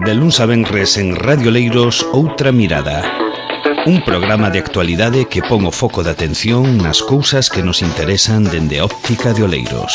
De luns a venres en Radio Leiros, Outra Mirada. Un programa de actualidade que pon o foco de atención nas cousas que nos interesan dende a óptica de Oleiros.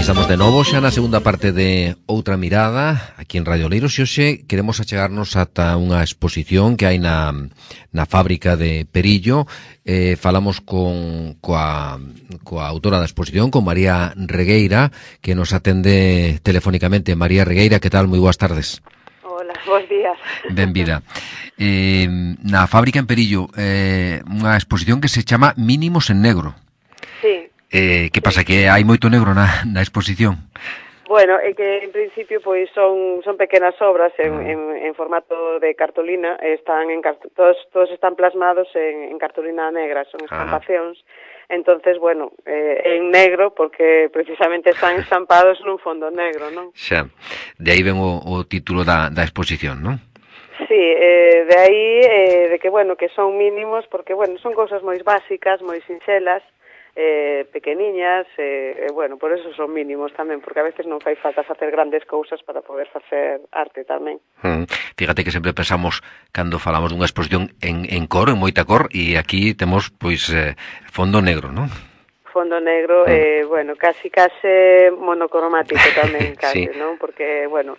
Estamos de novo xa na segunda parte de Outra Mirada aquí en Radio Oleiros e hoxe queremos achegarnos ata unha exposición que hai na fábrica de Perillo. Falamos coa autora da exposición, con María Regueira, que nos atende telefónicamente. María Regueira, que tal? Moi boas tardes. Hola, bons días. Benvida. Na fábrica en Perillo, unha exposición que se chama Mínimos en Negro. Sí. Que pasa, que hai moito negro na exposición? Bueno, é que en principio pois son pequenas obras en formato de cartolina, están todos están plasmados en cartolina negra, son estampacións. Entonces, bueno, en negro porque precisamente están estampados nun fondo negro, non? Xa, de aí ven o título da exposición, non? Sí, de aí de que, bueno, que son mínimos porque, bueno, son cousas moi básicas, moi sinxelas, pequeniñas, bueno, por eso son mínimos tamén, porque a veces non fai falta facer grandes cousas para poder facer arte tamén. Fíjate que sempre pensamos, cando falamos dunha exposición en cor, en moita cor, e aquí temos, pois, fondo negro, non? Fondo negro, bueno, casi monocromático tamén, casi, sí. Non? Porque, bueno,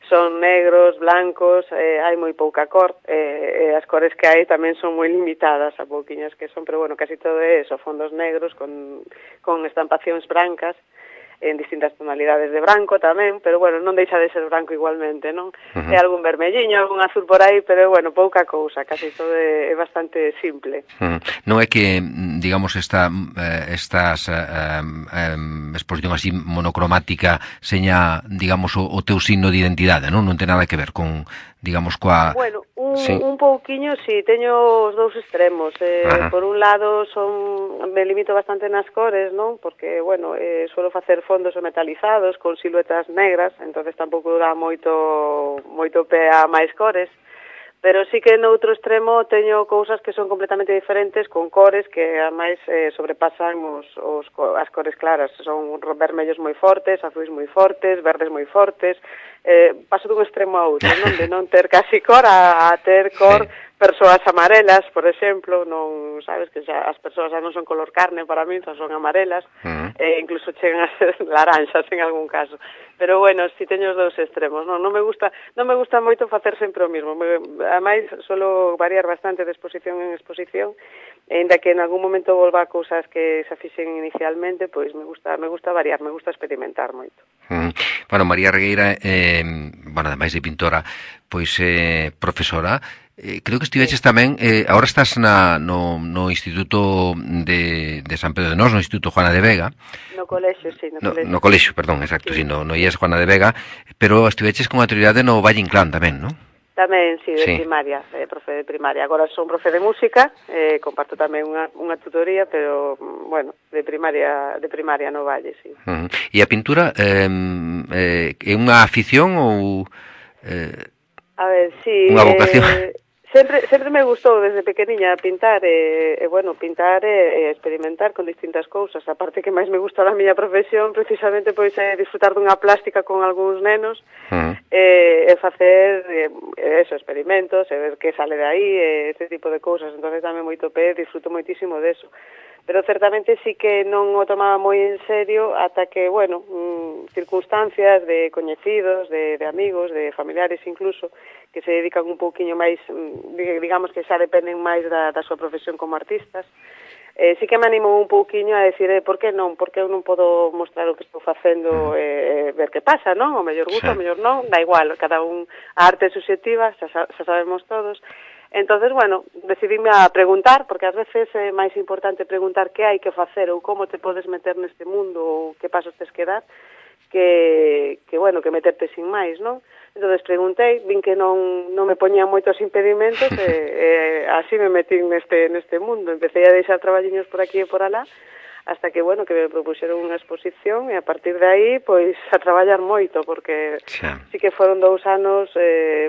son negros, blancos, hai moi pouca cor, as cores que hai tamén son moi limitadas, a pouquiñas que son, pero bueno, casi todo é eso, fondos negros con estampacións brancas, en distintas tonalidades de branco tamén, pero bueno, non deixa de ser branco igualmente, non? É algún vermelliño, algún azul por aí, pero bueno, pouca cousa, casi todo é bastante simple. Non é que, digamos, estas exposición así monocromática seña, digamos, o teu signo de identidade, non? Non ten nada que ver con, digamos, coa... Bueno, un pouquiño, sí, teño os dous extremos. Por un lado, me limito bastante nas cores, non? Porque, bueno, suelo facer fondos metalizados con siluetas negras, entonces tampouco dá moito pé a máis cores. Pero sí que no outro extremo teño cousas que son completamente diferentes, con cores que ademais sobrepasan as cores claras. Son vermellos moi fortes, azuis moi fortes, verdes moi fortes. Paso dun extremo a outro, non? De non ter casi cor a ter cor, persoas amarelas, por exemplo, non, sabes, que xa as persoas xa non son color carne para mí, xa son amarelas, incluso chegan a ser laranxas en algún caso. Pero bueno, si teño os dous extremos, non me gusta moito facer sempre o mismo. Ademais, suelo variar bastante de exposición en exposición, ainda que en algún momento volva a cousas que se fixen inicialmente, pois me gusta variar, me gusta experimentar moito. Bueno, María Regueira, bueno, ademais de pintora, pois profesora, creo que estiveches tamén, agora estás no Instituto de San Pedro de Nós, no Instituto Juana de Vega. No colexio, sí, no colexio, perdón, exacto, sí, no IES Juana de Vega, pero estiveches con actividade no Valle Inclán tamén, non? Tamén, sí, de primaria, profe de primaria. Agora son profe de música, comparto tamén unha tutoría, pero, bueno, de primaria no Valle, sí. E a pintura é unha afición ou a ver, sí, unha vocación? Sempre me gustou desde pequeniña pintar pintar e experimentar con distintas cousas. A parte que máis me gusta da miña profesión precisamente pois é disfrutar dunha plástica con algúns nenos e facer experimentos e ver que sale de aí, este tipo de cousas. Entonces dame moito pé, disfruto moitísimo deso. Pero certamente sí que non o tomaba moi en serio ata que, bueno, circunstancias de coñecidos, de amigos, de familiares incluso, que se dedican un pouquiño máis, digamos que xa dependen máis da súa profesión como artistas, sí que me animou un pouquiño a decir, por que non? Por que eu non podo mostrar o que estou facendo e ver que pasa, non? O mellor gusta, o mellor non, da igual, cada un, a arte é subxectiva, xa sabemos todos. Entonces, bueno, decidíme a preguntar, porque ás veces é máis importante preguntar que hai que facer ou como te podes meter neste mundo ou que pasos tes que dar, bueno, que meterte sin máis, non? Entón, preguntei, vin que non me poñían moitos impedimentos e así me metí neste mundo. Empecé a deixar traballiños por aquí e por alá, hasta que, bueno, que me propuxeron unha exposición e a partir de aí, pois, a traballar moito, porque sí que foron 2 anos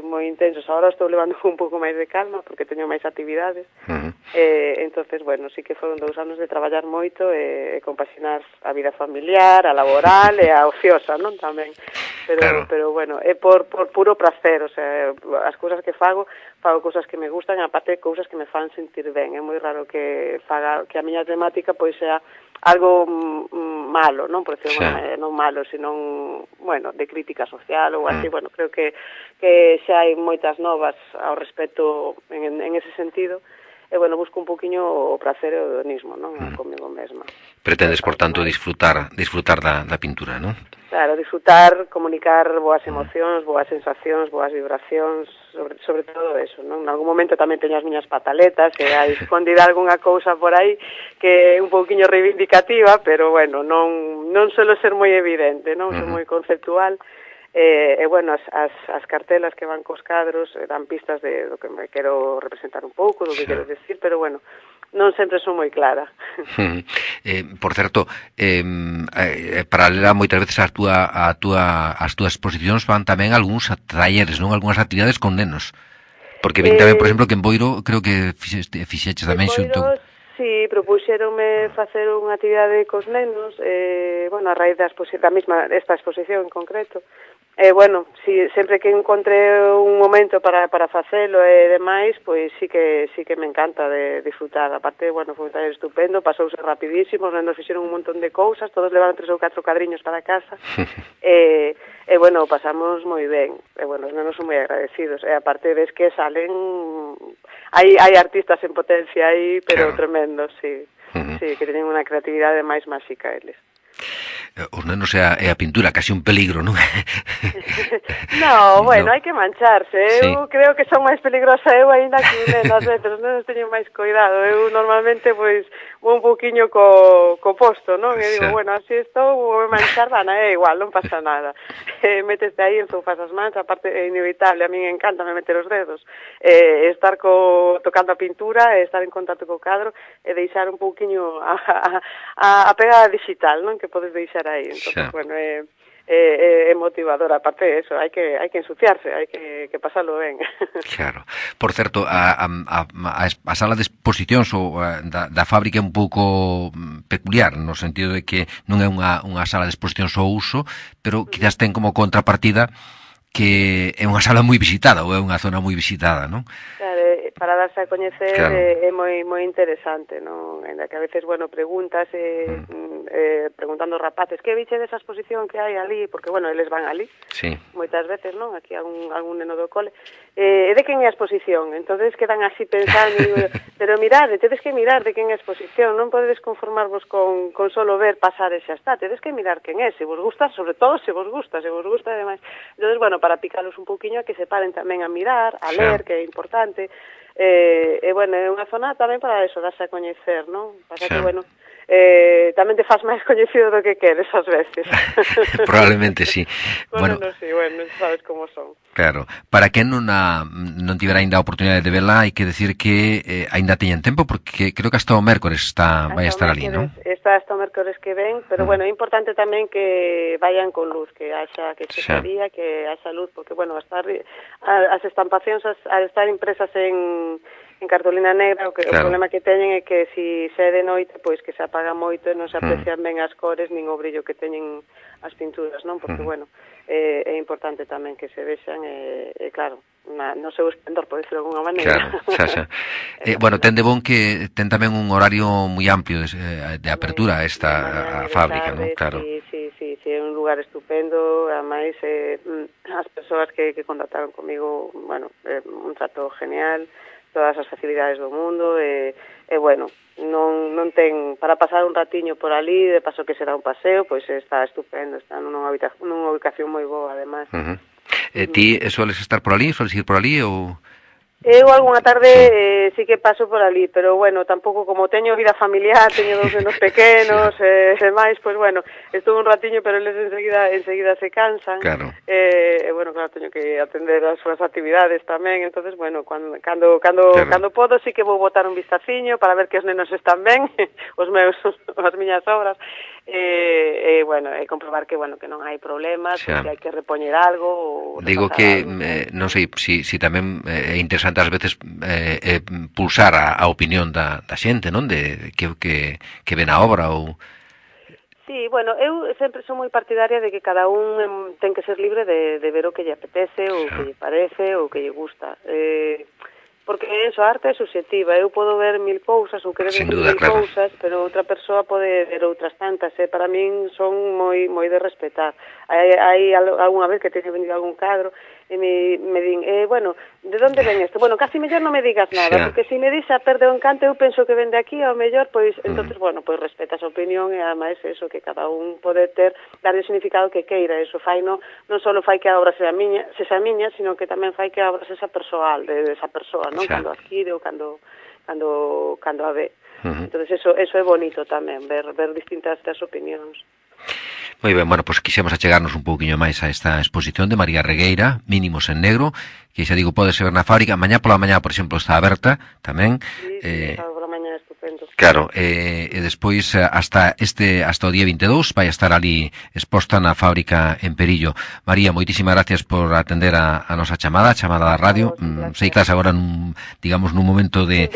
moi intensos. Agora estou levando un pouco máis de calma, porque teño máis actividades. Entonces, bueno, sí que foron 2 anos de traballar moito e compaxinar a vida familiar, a laboral e a ociosa, non? Tamén. Pero bueno, é por puro placer, o sea, as cousas que fago cousas que me gustan, aparte cousas que me fan sentir ben. É moi raro que a miña temática pois sea algo malo, non? Por decirlo, non malo, sino, bueno, de crítica social ou así. Bueno, creo que xa hai moitas novas ao respecto en ese sentido. E, bueno, busco un poquinho o placer e o hedonismo, non? Comigo mesma. Pretendes, por tanto, disfrutar da pintura, non? Claro, disfrutar, comunicar boas emocións, boas sensacións, boas vibracións, sobre todo eso, non? En algún momento tamén teño as miñas pataletas, e hai escondida algunha cousa por aí que é un pouquiño reivindicativa, pero, bueno, non suelo ser moi evidente, non? Son moi conceptual. E bueno, as cartelas que van cos cadros dan pistas do que me quero representar un pouco, do que quero decir, pero bueno, non sempre son moi clara. Por certo, paralela moitas veces as túas exposicións van tamén algúns talleres, non? Algúnas actividades con nenos. Porque ven tamén, por exemplo, que en Boiro creo que fixeches tamén xunto. Sí, propuxeronme facer unha actividade cos nenos, bueno, a raíz da mesma esta exposición en concreto. Bueno, si, sempre que encontre un momento para facelo e demais, pois sí que me encanta de disfrutar. Aparte, bueno, foi un taller estupendo, pasouse rapidísimo, os nenos fixeron un montón de cousas, todos levaron 3 ou 4 cadriños para casa, e bueno, pasamos moi ben, e bueno, os nenos son moi agradecidos, e aparte ves que salen, hai artistas en potencia aí, pero tremendos, sí, sí, que teñen unha creatividade máis máxica eles. Os nenos e a pintura, casi un peligro, non? No, bueno, hai que mancharse. Eu creo que son máis peligrosa eu aínda que un neno, as veces, os nenos teñen máis cuidado. Eu normalmente, pois, vou un poquinho co posto, non? E digo, bueno, así estou, vou manchar, é igual, non pasa nada. Méteste aí, enzufas as mans, aparte é inevitable, a min encanta me meter os dedos. Estar tocando a pintura, estar en contacto co cadro, e deixar un pouquiño a pegada digital, non? Que podes deixar aí. Entón, bueno, é motivador, aparte de eso, hai que ensuciarse, hai que pasalo ben. Claro. Por certo, a sala de exposicións ou da fábrica é un pouco peculiar, no sentido de que non é unha sala de exposicións ao uso, pero quizás ten como contrapartida que é unha sala moi visitada, ou é unha zona moi visitada, non? Claro, para darse a coñecer é moi interesante, non? Ainda que a veces, bueno, preguntas preguntando aos rapaces, que viche desa exposición que hai ali? Porque, bueno, eles van ali, moitas veces, non? Aquí algún neno do cole. E de quen é a exposición? Entonces quedan así pensando, pero mirade, tedes que mirar de quen é a exposición, non podedes conformarvos con solo ver, pasar e xa está, tedes que mirar quen é, se vos gusta, sobre todo se vos gusta ademais. Entonces, bueno, para picalos un pouquiño, que se paren tamén a mirar, a ler, que é importante. Bueno, é unha zona tamén para eso, darse a coñecer, non? Pasa que, bueno, tamén te faz máis coñecido do que queres ás veces. Probablemente sí. Bueno, sí, bueno, sabes como son. Claro, para quen non tivera ainda a oportunidade de verla, hai que decir que ainda teñen tempo, porque creo que hasta o mércores vai estar ali, non? Está hasta o mércores que ven, pero bueno, é importante tamén que vayan con luz, que haxa que chegaría, que haxa luz, porque bueno, as estampacións al estar impresas en cartolina negra, o problema que teñen é que se é de noite, pois que se apaga moito e non se aprecian ben as cores nin o brillo que teñen as pinturas, non? Porque, bueno, é importante tamén que se vexan claro, no seu esplendor, por decirlo de alguna maneira. Claro, bueno, ten de bon que ten tamén un horario moi amplio de apertura a fábrica, non? Claro. Sí, é un lugar estupendo, ademais as persoas que contactaron comigo, bueno, un trato genial, todas as facilidades do mundo e bueno, non ten para pasar un ratiño por ali, de paso que será un paseo, pois está estupendo, está nunha ubicación moi boa, además. Ti sueles estar por ali, sueles ir por ali ou Eu algunha tarde sí que paso por ali, pero bueno, tampouco como teño vida familiar, teño 2 nenos pequenos, máis, pois bueno, estuve un ratiño, pero eles enseguida se cansan. Claro. Bueno, claro, teño que atender as súas actividades tamén, entonces bueno, cando podo sí que vou botar un vistaciño para ver que os nenos están ben, as miñas obras. Bueno, comprobar que non hai problemas, que hai que repoñer algo. Digo que, non sei, si tamén é interesante ás veces pulsar a opinión da xente, non? De que ven a obra ou... Sí, bueno, eu sempre sou moi partidaria de que cada un ten que ser libre de ver o que lle apetece, ou que lle parece, ou que lle gusta. Porque a arte é subjetiva, eu podo ver 1000 cousas ou querer ver 1000 cousas, pero outra persoa pode ver outras tantas, para min son moi de respetar. Hai algunha vez que teño venido algún cadro e me din, bueno, de onde ven isto? Bueno, casi mellor non me digas nada, porque se me dis a perde o encanto, eu penso que ven de aquí, ao mellor, pois, entonces, bueno, pois respetas a opinión e ademais eso, que cada un pode darle o significado que queira, eso fai, non só fai que a obra sexa miña, sino que tamén fai que a obra sexa persoal, de esa persoa, non? Cando adquire ou cando a ve. Entonces, eso é bonito tamén, ver distintas das opinións. Moi ben, bueno, pois quixemos achegarnos un pouquiño máis a esta exposición de María Regueira, Mínimos en Negro, que xa digo, pode ser na fábrica, mañá pola mañá, por exemplo, está aberta tamén. Sí, pola mañá estupendo. Claro, e despois hasta o día 22 vai estar ali exposta na fábrica en Perillo. María, moitísimas gracias por atender a nosa chamada da radio. Sei que estás agora nun momento de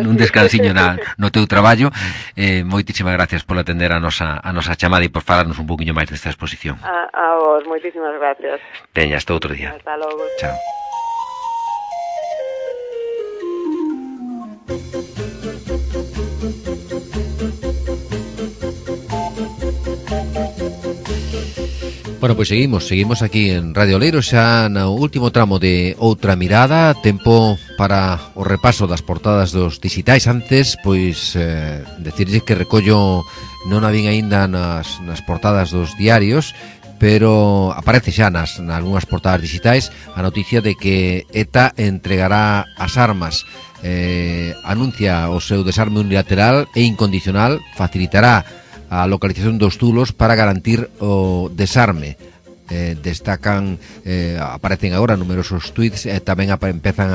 nun descansiño no teu traballo. Moitísimas gracias por atender a nosa chamada e por falarnos un poquinho máis desta exposición. A vos, moitísimas gracias. Teña, hasta outro día. Hasta logo. Chao. Bueno, pois seguimos aquí en Radio Oleiros xa no último tramo de Outra Mirada, tempo para o repaso das portadas dos digitais. Antes, pois, decirlle que recollo, non a vin aínda nas portadas dos diarios, pero aparece xa nalgúnas portadas digitais a noticia de que ETA entregará as armas, anuncia o seu desarme unilateral e incondicional, facilitará a localización dos zulos para garantir o desarme. Destacan, aparecen agora numerosos tweets, tamén empezan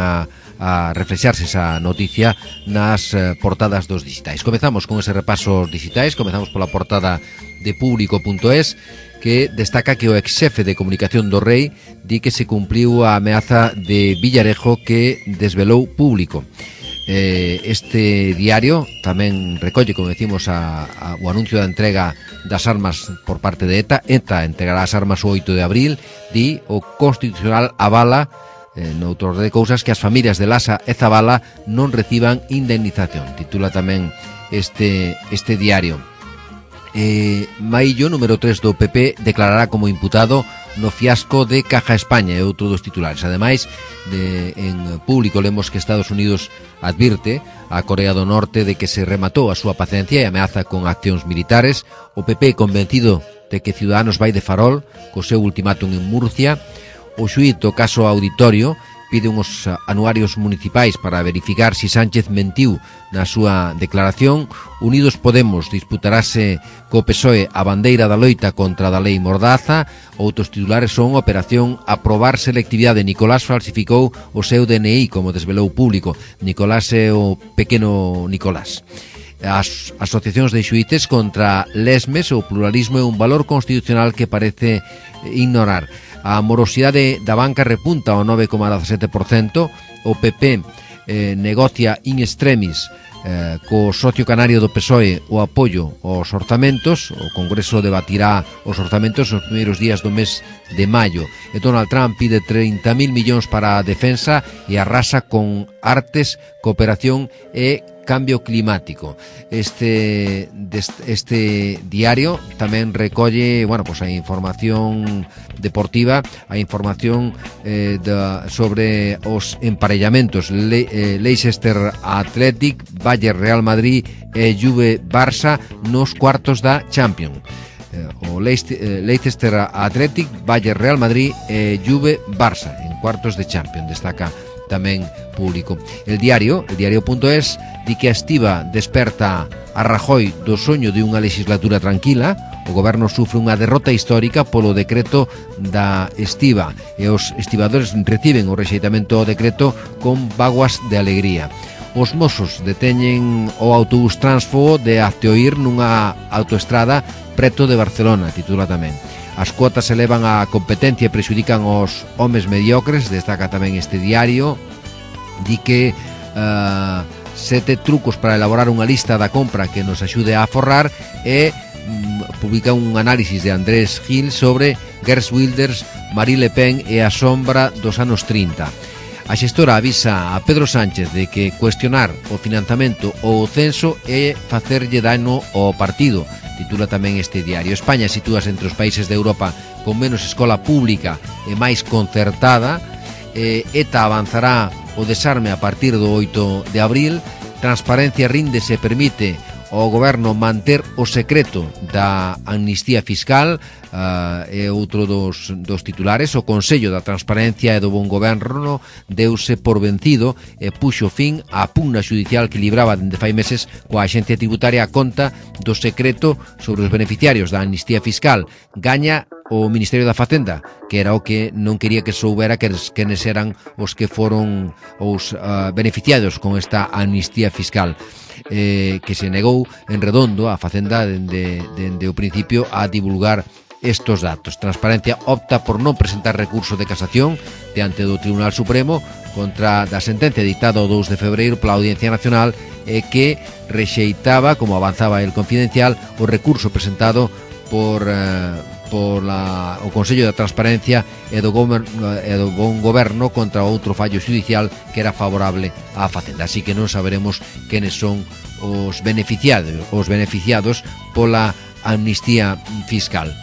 a reflexarse esa noticia nas portadas dos digitais. Comezamos con ese repaso digitais, comezamos pola portada de Público.es, que destaca que o exxefe de comunicación do Rei di que se cumpliu a ameaza de Villarejo que desvelou Público. Este diario tamén recolle, como decimos, o anuncio da entrega das armas por parte de ETA. ETA entregará as armas o 8 de abril. Di o Constitucional avala, noutro de cousas, que as familias de Lasa e Zabala non reciban indemnización. Titula tamén este diario. Maillo, número 3 do PP, declarará como imputado no fiasco de Caja España, é outro dos titulares. Ademais, en Público lemos que Estados Unidos advirte a Corea do Norte de que se rematou a súa paciencia e ameaza con accións militares. O PP convencido de que Ciudadanos vai de farol co seu ultimátum en Murcia. O xuíz do caso Auditorio pide uns anuarios municipais para verificar si Sánchez mentiu na súa declaración. Unidos Podemos disputarase co PSOE a bandeira da loita contra da lei Mordaza. Outros titulares son: Operación aprobar selectividade, Nicolás falsificou o seu DNI, como desvelou Público. Nicolás é o pequeno Nicolás. As asociacións de xuíces contra lesmes, o pluralismo é un valor constitucional que parece ignorar. A morosidade da banca repunta ao 9,17%. O PP negocia in extremis co socio canario do PSOE o apoio aos orzamentos. O Congreso debatirá os orzamentos nos primeiros días do mes de maio. E Donald Trump pide 30.000 millóns para a defensa e arrasa con artes, cooperación e cambio climático. Este diario tamén recolle, a información deportiva, a información sobre os emparellamentos. Leicester Athletic, Bayern Real Madrid e Juve Barça nos cuartos da Champions. O Leicester Athletic, Bayern Real Madrid e Juve Barça en cuartos de Champions. Destaca tamén público. El diario.es, di que a estiba desperta a Rajoy do soño de unha legislatura tranquila. O goberno sufre unha derrota histórica polo decreto da estiba e os estibadores reciben o rexeitamento ao decreto con vaguas de alegría. Os mozos deteñen o autobús tránsfogo de Azteoír nunha autoestrada preto de Barcelona, titula tamén. As cuotas elevan a competencia e prexudican os homes mediocres, destaca tamén este diario. Di que 7 trucos para elaborar unha lista da compra que nos axude a aforrar e publica un análisis de Andrés Gil sobre Geert Wilders, Marie Le Pen e a sombra dos anos 30. A xestora avisa a Pedro Sánchez de que cuestionar o financiamento ou o censo é facerlle dano ao partido, titula tamén este diario. España sitúase entre os países de Europa con menos escola pública e máis concertada. ETA avanzará o desarme a partir do 8 de abril. Transparencia rinde se permite ao goberno manter o secreto da amnistía fiscal. É outro dos titulares. O Consello da Transparencia e do Bon Goberno deuse por vencido e puxo fin á pugna judicial que libraba dende fai meses coa Axencia Tributaria a conta do secreto sobre os beneficiarios da amnistía fiscal. Gaña o Ministerio da Facenda, que era o que non quería que soubera quenes eran os que foron os beneficiados con esta amnistía fiscal, que se negou en redondo a Facenda dende o principio a divulgar estos datos. Transparencia opta por non presentar recurso de casación diante do Tribunal Supremo contra da sentencia dictada o 2 de febreiro pola Audiencia Nacional que rexeitaba, como avanzaba el Confidencial, o recurso presentado por o Consello da Transparencia e do Bon Goberno contra outro fallo judicial que era favorable á Facenda. Así que non saberemos quenes son os beneficiados pola amnistía fiscal.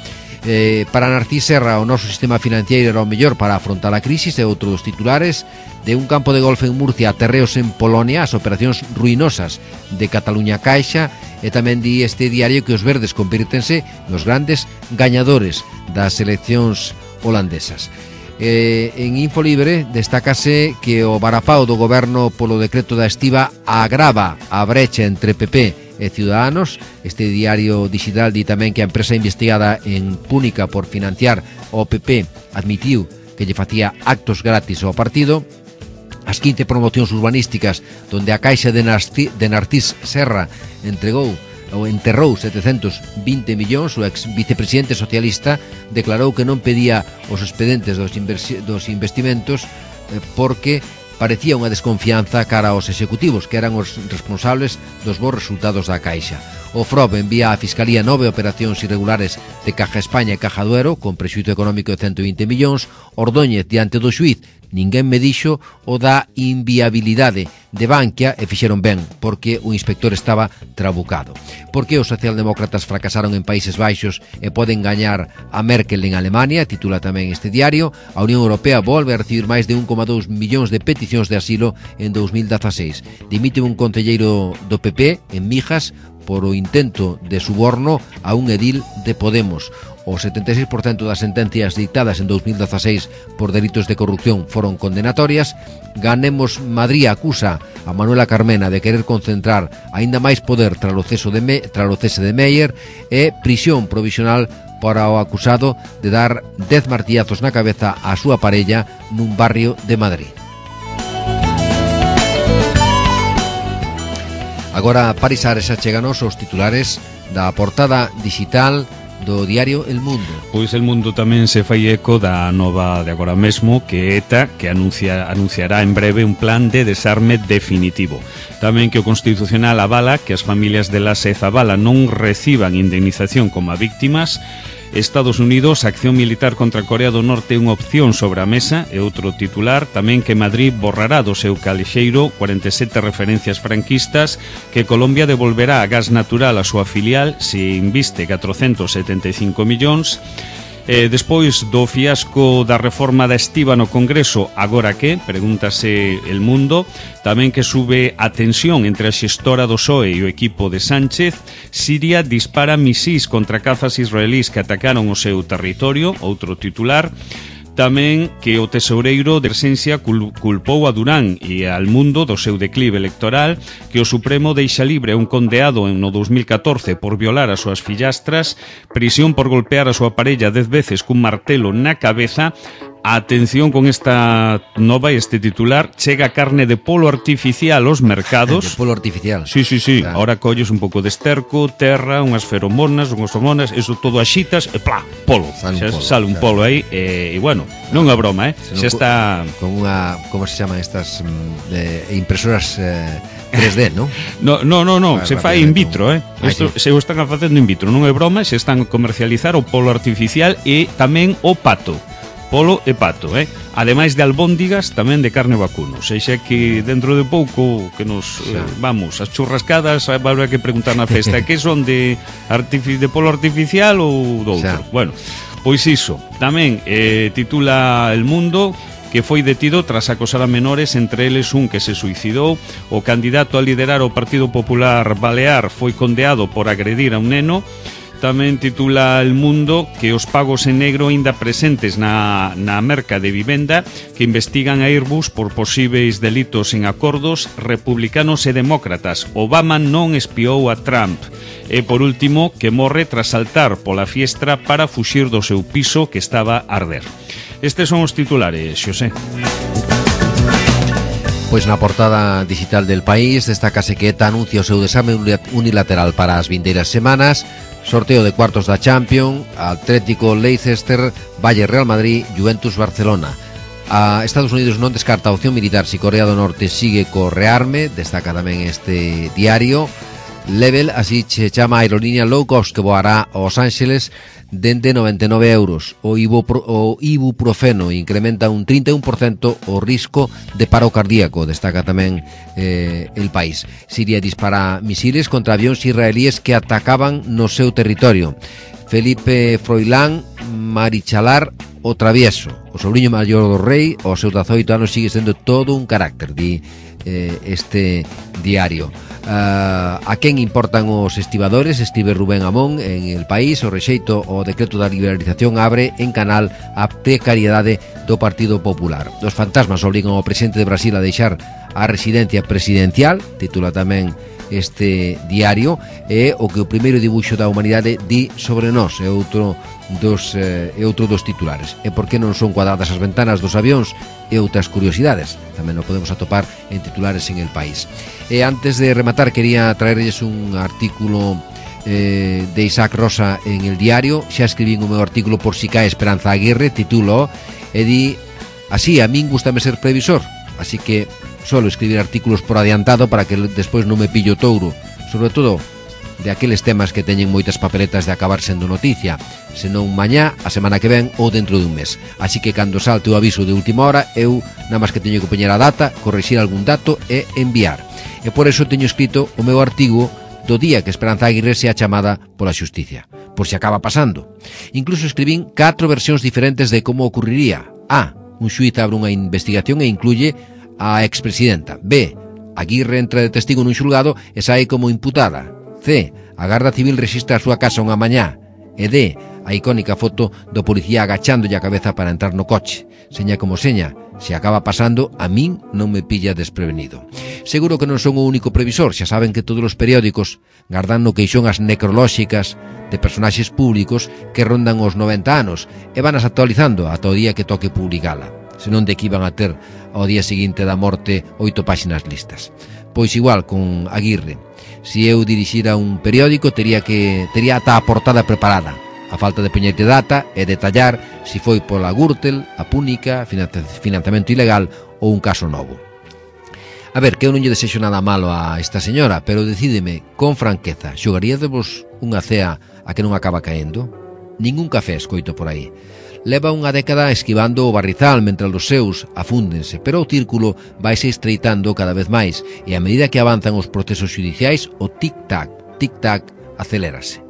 Para Narcís Serra, o noso sistema financiero era o mellor para afrontar a crisis. E outro dos titulares: de un campo de golf en Murcia a terreos en Polonia, as operacións ruinosas de Cataluña Caixa. E tamén di este diario que os verdes convírtense nos grandes gañadores das eleccións holandesas. En Infolibre destácase que o varapao do goberno polo decreto da estiba agrava a brecha entre PP e Ciudadanos. Este diario digital di tamén que a empresa investigada en Púnica por financiar o PP admitiu que lle facía actos gratis ao partido. As 15 promocións urbanísticas donde a Caixa de Narcís Serra enterrou 720 millóns. O ex vicepresidente socialista declarou que non pedía os expedentes dos investimentos porque parecía unha desconfianza cara aos executivos, que eran os responsables dos bons resultados da Caixa. O FROB envía á Fiscalía 9 operacións irregulares de Caja España e Caja Duero con prexuízo económico de 120 millóns. Ordóñez diante do xuíz: ninguén me dixo o da inviabilidade de Bankia, e fixeron ben, porque o inspector estaba trabucado. Por que os socialdemócratas fracasaron en Países Baixos e poden gañar a Merkel en Alemania? Titula tamén este diario. A Unión Europea volve a recibir máis de 1,2 millóns de peticións de asilo en 2016. Dimite un concelleiro do PP en Mijas por o intento de suborno a un edil de Podemos. O 76% das sentencias dictadas en 2016 por delitos de corrupción foron condenatorias. Ganemos Madrid acusa a Manuela Carmena de querer concentrar aínda máis poder tras o cese de Meyer, e prisión provisional para o acusado de dar 10 martillazos na cabeza á súa parella nun barrio de Madrid. Agora, Paris Ares, acheganos os titulares da portada digital do diario El Mundo. Pois El Mundo tamén se fai eco da nova de agora mesmo, que ETA, que anunciará en breve un plan de desarme definitivo. Tamén que o Constitucional avala que as familias de Lasa e Zabala non reciban indemnización como víctimas. Estados Unidos, acción militar contra Corea do Norte unha opción sobre a mesa, e outro titular. Tamén que Madrid borrará do seu calexeiro 47 referencias franquistas, que Colombia devolverá a gas natural a súa filial se inviste 475 millóns. Despois do fiasco da reforma da estiba no Congreso, agora que? Pregúntase El Mundo. Tamén que sube a tensión entre a xestora do PSOE e o equipo de Sánchez. Siria dispara misís contra cazas israelís que atacaron o seu territorio, outro titular. Tamén que o tesoureiro de Ersensia culpou a Durán e al Mundo do seu declive electoral, que o Supremo deixa libre a un condeado no 2014 por violar as súas fillastras, prisión por golpear a súa parella 10 veces cun martelo na cabeza. Atención con esta nova e este titular: chega carne de polo artificial aos mercados. De polo artificial. Sí. Claro. Ahora colles un pouco de esterco, terra, unhas feromonas, unhas hormonas, eso todo axitas e plá, polo. Sale un polo aí e bueno, non é broma, xa está con unha, como se chaman estas impresoras 3D, ¿no? No, se fai in vitro, Isto se o están facendo in vitro, non é broma, se están a comercializar o polo artificial e tamén o pato. Polo e pato, ademais de albóndigas, tamén de carne vacuno. Seixa que dentro de pouco que nos vamos, as churrascadas vai haber que preguntar na festa que son de polo artificial ou do outro. Bueno, pois iso. Tamén titula El Mundo que foi detido tras acosar a menores, entre eles un que se suicidou. O candidato a liderar o Partido Popular Balear foi condeado por agredir a un neno. Tamén titula El Mundo que os pagos en negro aínda presentes na merca de vivenda, que investigan a Airbus por posíveis delitos en acordos republicanos e demócratas. Obama non espiou a Trump. E por último, que morre tras saltar pola fiestra para fuxir do seu piso que estaba a arder. Estes son os titulares, Xosé. Pois na portada digital del País destácase que ETA anuncia o seu desame unilateral para as vindeiras semanas. Sorteo de cuartos da Champions, Atlético, Leicester, Valle, Real Madrid, Juventus, Barcelona. A Estados Unidos non descarta a opción militar se Corea do Norte sigue co rearme, destaca tamén este diario. Level, así se chama a aerolínea low cost que voará aos Ángeles dende 99 euros. O ibuprofeno incrementa un 31% o risco de paro cardíaco, destaca tamén El País. Siria dispara misiles contra avións israelíes que atacaban no seu territorio. Felipe Froilán Marichalar o travieso. O sobrinho maior do rei, aos seus 18 anos, sigue sendo todo un carácter, di este diario. A quen importan os estibadores? Estive Rubén Amón en El País. O rexeito o decreto da liberalización abre en canal a precariedade do Partido Popular. Os fantasmas obrigan ao presidente de Brasil a deixar a residencia presidencial, titula tamén este diario, e o que o primeiro dibuixo da humanidade di sobre nós, é outro dos titulares. E por que non son cuadradas as ventanas dos avións e outras curiosidades tamén o podemos atopar en titulares en El País. E antes de rematar, quería traerles un artículo de Isaac Rosa en El Diario. Xa escribín o meu artículo Por si cae Esperanza Aguirre, titulo e di así: a min gustame ser previsor, así que solo escribir artículos por adiantado para que despois non me pillo touro, sobre todo de aqueles temas que teñen moitas papeletas de acabar sendo noticia, senón mañá, a semana que ven ou dentro de un mes. Así que cando salte o aviso de última hora, eu nada máis que teño que poñer a data, corrixir algún dato e enviar. E por eso teño escrito o meu artigo do día que Esperanza Aguirre sea chamada pola xusticia, por se acaba pasando. Incluso escribín 4 versións diferentes de como ocurriría. A. Un xuíz abre unha investigación e incluye a expresidenta. B. Aguirre entra de testigo nun xulgado e sae como imputada. C. A Garda Civil rexistra a súa casa unha mañá. E D. A icónica foto do policía agachándolle a cabeza para entrar no coche. Seña como seña, se acaba pasando, a min non me pilla desprevenido. Seguro que non son o único previsor. Xa saben que todos os periódicos gardan no queixón as necrolóxicas de personaxes públicos que rondan os 90 anos e van as actualizando ata o día que toque publicala. Senón de que iban a ter ao día seguinte da morte 8 páxinas listas. Pois igual con Aguirre. Se eu dirixira un periódico tería ata a portada preparada. A falta de poñerte data e detallar se foi pola Gürtel, a Púnica, financiamento ilegal ou un caso novo. A ver, que eu non lle desexo nada malo a esta señora, pero decídeme con franqueza, xogaríadevos unha cea a que non acaba caendo? Ningún café escoito por aí. Leva unha década esquivando o barrizal mentre os seus afúndense, pero o círculo vaise estreitando cada vez máis e a medida que avanzan os procesos xudiciais, o tic-tac acelérase.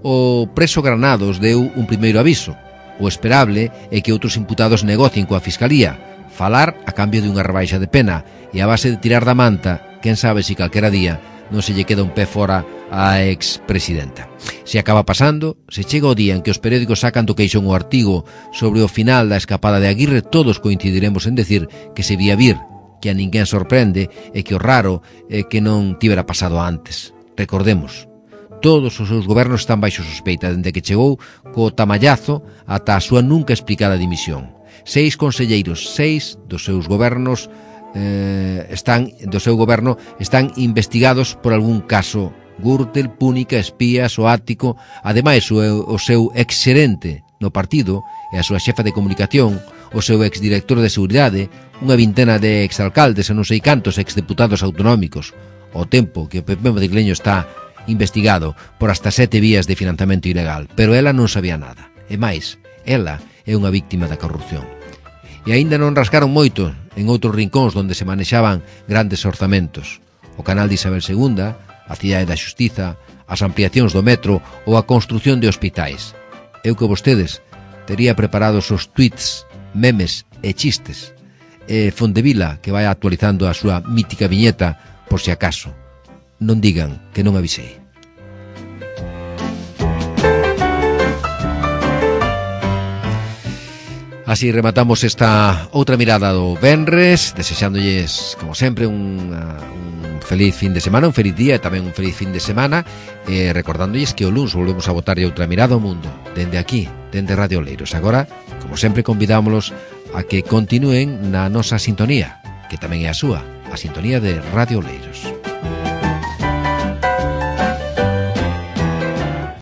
O preso Granados deu un primeiro aviso. O esperable é que outros imputados negocien coa Fiscalía, falar a cambio de unha rebaixa de pena e a base de tirar da manta, quen sabe se calquera día non se lle queda un pé fora á expresidenta. Se acaba pasando, se chega o día en que os periódicos sacan do queixón o artigo sobre o final da escapada de Aguirre, todos coincidiremos en decir que se vía vir, que a ninguén sorprende e que o raro é que non tivera pasado antes. Recordemos, todos os seus gobernos están baixo sospeita dende que chegou co tamallazo ata a súa nunca explicada dimisión. 6 conselleiros, 6 dos seus gobernos do seu goberno están investigados por algún caso. Gürtel, Púnica, Espías, o Ático, ademais o seu exxerente no partido e a súa xefa de comunicación, o seu exdirector de seguridade, unha vintena de exalcaldes e non sei cantos exdeputados autonómicos, ao tempo que o PP madrileño está investigado por hasta 7 vías de financiamento ilegal, pero ela non sabía nada. E máis, ela é unha víctima da corrupción. E aínda non rascaron moito en outros rincóns onde se manexaban grandes orzamentos. O canal de Isabel II, a cidade da xustiza, as ampliacións do metro ou a construción de hospitais. Eu que vostedes tería preparados os tweets, memes e chistes. E Fondevila que vai actualizando a súa mítica viñeta por si acaso. Non digan que non avisei. Así rematamos esta outra mirada do venres, desexándolles, como sempre, un feliz fin de semana, un feliz día e tamén un feliz fin de semana, e recordándolles que o luns volvemos a botarlle outra mirada ao mundo, dende aquí, dende Radio Oleiros. Agora, como sempre, convidámoslos a que continúen na nosa sintonía, que tamén é a súa, a sintonía de Radio Oleiros.